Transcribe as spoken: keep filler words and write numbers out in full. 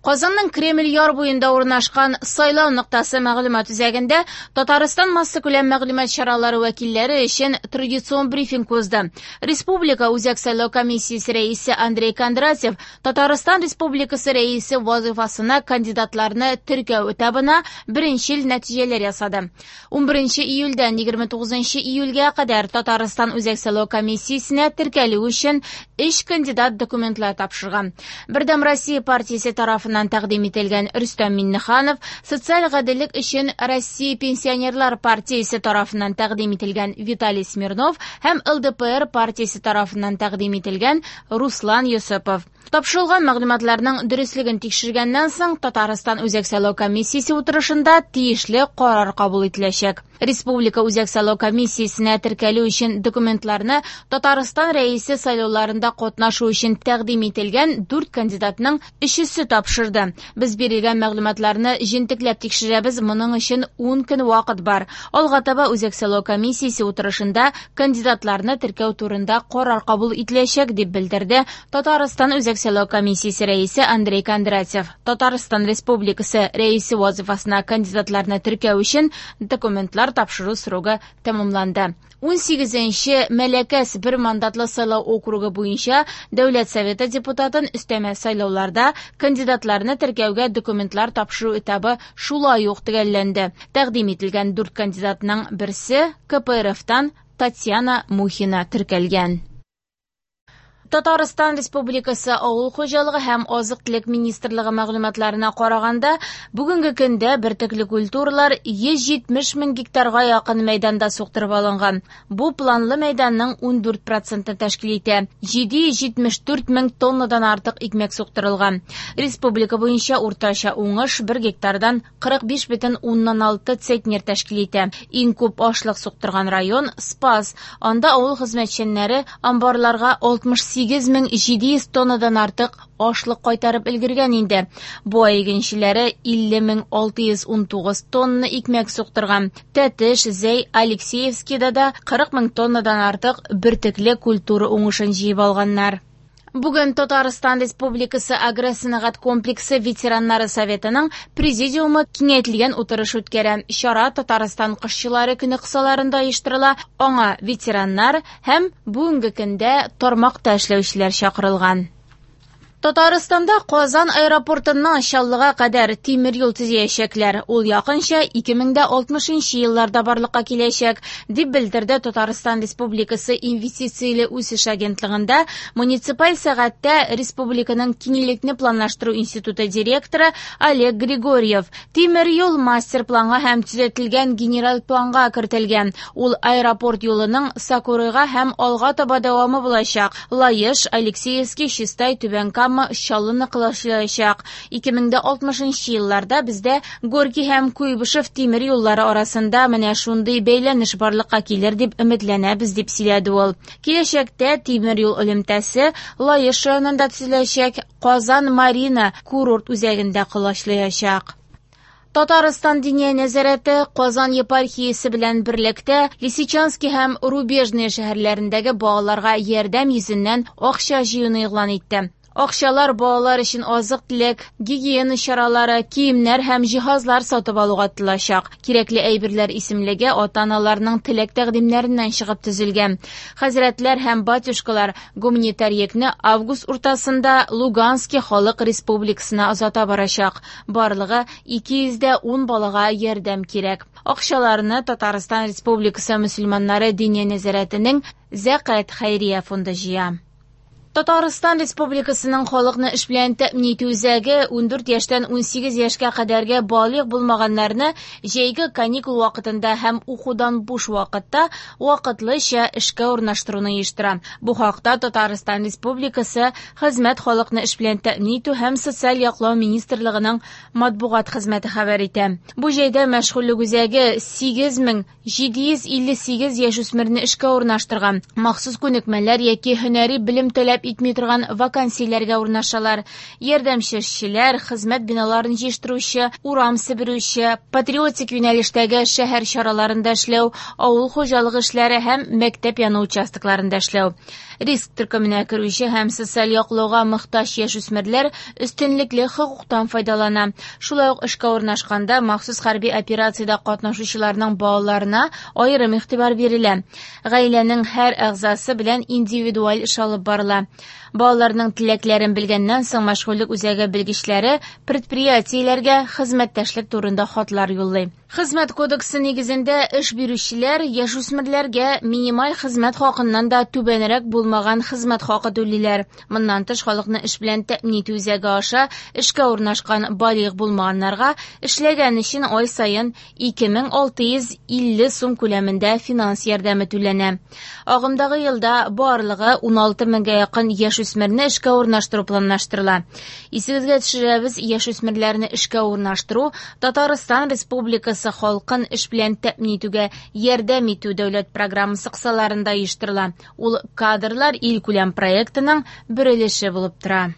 Казанның Кремль яр буенда урнашкан сайлау ноктасы мәгълүмат үзәгендә Татарстан массакүләм мәгълүмат чаралары вәкилләре өчен традицион брифинг узды. Республика Үзәк сайлау комиссиясе рәисе Андрей Кондратьев Татарстан Республикасы рәисе вазифасына кандидатларны теркәү этабына беренчел нәтиҗәләр ясады. Унберенче июльдән егерме тугызынчы июльгә кадәр Татарстан Үзәк сайлау комиссиясенә теркәлү өчен өч кандидат документлар тапшырган. Бердәм Россия партиясе тарафыннан тәкъдим ителгән Рөстәм Миңнеханов, Социаль гаделлек өчен Россия пенсионерлар партиясе тарафыннан тәкъдим ителгән Виталий Смирнов һәм Л Д П Р партиясе тарафыннан тәкъдим ителгән Руслан Йосыпов. Тапшырылган мәгълүматларның дөреслеген тикшергәннән соң Татарстан Үзәк сайлау комиссиясе утырышында тиешле карар кабул ителәчәк. Республика Үзәк сайлау комиссиясенә теркәлү өчен документларны Татарстан Рәисе сайлауларында катнашу өчен тәкъдим ителгән дүрт кандидатның өчесе тапшырды. Без бирелгән мәгълүматларны җентекләп тикшерәбез, моның өчен ун көн вакыт бар. Алга таба Үзәк сайлау комиссиясе утырышында кандидатларны теркәү турында карар кабул ителәчәк, дип белдерде Татарстан Үзәк сайлау комиссиясе рәисе Андрей Кондратьев. Татарстан Республикасы рәисе вазифасына кандидатларны теркәү өчен документлар тапшыру срогы тәмамланды. Ун сигезенче Мәләкәс бер мандатлы сайлау округы буенча Дәүләт Советы депутатын өстәмә сайлауларда кандидатларны теркәүгә документлар тапшыру этабы шулай ук төгәлләнде. Тәкъдим ителгән дүрт кандидатның берсе К П Р Фтан Татьяна Мухина теркәлгән. Татарстан Республикасы Авыл хуҗалыгы һәм азык-төлек министрлыгы мәгълүматларына караганда, бүгенге көндә бөртекле культуралар йөз җитмеш мең гектарга якын мәйданда суктырып алынган. Бу планлы мәйданның ундүрт процентын тәшкил итә. Җиде йөз җитмеш дүрт мең тоннадан артык икмәк суктырылган. Республика буенча уртача уңыш бер гектардан кырык биш бөтен уннан алты центнер тәшкил итә. Иң күп ашлык суктырган район Спас. Анда авыл хезмәтчәннәре амбарларга алтмыш сигез мең җиде йөз тоннадан артык ашлык кайтарып өлгергән инде. Бу ай игенчеләре илле мең алты йөз унтугыз тонна икмәк суктырган. Тәтеш, Зәй, Алексеевскийда да кырык мең тоннадан артык бөртекле культура уңышын җыеп алганнар. Бүген Татарстан Республикасы Агросәнәгать комплексы ветераннары советының президиумы киңәйтелгән утырыш үткәрә. Чара Татарстан кошчылары көне кысаларында оештырыла. Аңа ветераннар һәм бүгенге көндә тармакта эшләүчеләр чакырылган. Татарстанда Казан аэропортыннан Чаллыга кадәр тимер юл төзиячәкләр. Ул якынча ике мең дә алтмышынчы елларда барлыкка киләчәк, дип белдерде Татарстан Республикасы Инвестицияле үсеш агентлыгында муниципаль сәгатьтә Республиканың киңлекне планлаштыру институты директоры Олег Григорьев. Тимер юл мастер-планга һәм төзәтелгән генераль планга кертелгән. Ул аэропорт юлының Сакурыйга һәм алга таба дәвамы булачак. Лаеш, Алексеевский, Чистай, Түбән Кама Чаллыны кылачлаячак. Ике мең дә алтмышынчы елларда бездә Горький һәм Куйбышев тимер юллары арасында менә шундый бәйләнеш барлыкка килер дип өметләнәбез, дип сөйләде ул. Киләчәктә тимер юл элемтәсе Лаеш районында төзеләчәк, Казан Марина курорт үзәгендә кылачлаячак. Татарстан Диния нәзарәте Казан епархиясе белән берлектә Лисичанский һәм Рубежный шәһәрләрендәге балаларга ярдәм йөзеннән акча җыюны игълан итте. Акчалар балалар өчен азык-төлек, гигиена чаралары, киемнәр һәм җиһазлар сатып алуга тотылачак. Кирәкле әйберләр исемлеге ата-аналарның теләк тәкъдимнәреннән чыгып төзелгән. Хәзрәтләр һәм батюшкалар гуманитар йөкне август уртасында Луганский халык республикасына озата барачак. Барлыгы ике йөз дә ун балага ярдәм кирәк. Акчаларны Татарстан Республикасы мөселманнары Диния нәзарәтенең Зәкят хәйрия фонды җыя. Татарстан Республикасының халыкны эш белән тәэмин итү үзәге ундүрт яшьтән унсигез яшькә кадәрге балигъ булмаганнарны җәйге каникул вакытында һәм укудан буш вакытта вакытлыча эшкә урнаштыруны оештыра. Бу хакта Татарстан Республикасы Хезмәт халыкны эш белән тәэмин итү һәм социаль яклау министрлыгының матбугат хезмәте хәбәр итә. Бу җәйдә мәшгульлек үзәге сигез мең җиде йөз илле сигез яшүсмерне эшкә урнаштырган. Махсус күнекмәләр яки һөнәри белем таләп итми торган вакансияләргә урнашалар. Ярдәмче эшчеләр, хезмәт биналарын җыештыручы, урам себерүче, патриотик юнәлештәге шәһәр чараларында эшләү, авыл хуҗалыгы эшләре һәм мәктәп яны участокларында эшләү. Риск төркеменә керүче һәм социаль яклауга мохтаҗ яшүсмерләр өстенлекле хокуктан файдалана. Шулай ук эшкә урнашканда махсус хәрби операциядә катнашучыларның балаларына аерым игътибар бирелә. Гаиләнең һәр әгъзасы белән индивидуаль эш алып барыла. Балаларның теләкләрен белгәннән соң мәшгульлек үзәге белгечләре предприятиеләргә хезмәттәшлек турында хатлар юллый. Хезмәт кодексы нигезендә эш бирүчеләр яшүсмерләргә минималь хезмәт хакыннан да түбәнрәк булмаган хезмәт хакы түлиләр. Моннан тыш, халыкны эш белән тәэмин итү үзәге аша эшкә урнашкан балигъ булмаганнарга эшләгән өчен ай саен ике мең алты йөз илле сум күләмендә финанс ярдәме түләнә. Агымдагы елда барлыгы ун алты меңгә якын яшүсмерне эшкә урнаштыру планлаштырыла. Исегезгә төшерәбез, яшүсмерләрне эшкә урнаштыру Татарстан Республикасы халкын эш белән тәэмин итүгә ярдәм итү дәүләт программасы кысаларында оештырыла. Ул кадрлар илкүләм проектының бер өлеше булып тора.